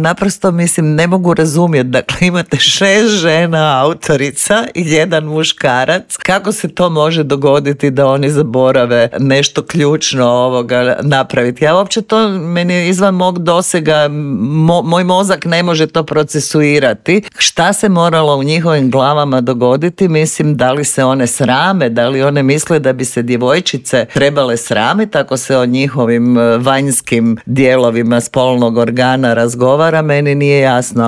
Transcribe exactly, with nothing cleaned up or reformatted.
Naprosto mislim, ne mogu razumjeti, dakle imate šest žena autorica i jedan muškarac, kako se to može dogoditi da oni zaborave nešto ključno ovoga napraviti. Ja uopće to, meni je izvan mog dosega, mo, moj mozak ne može to procesuirati. Šta se moralo u njihovim glavama dogoditi? Mislim, da li se one srame, da li one misle da bi se djevojčice trebale sramiti ako se o njihovim vanjskim dijelovima spolnog organa razgovara, meni nije jasno.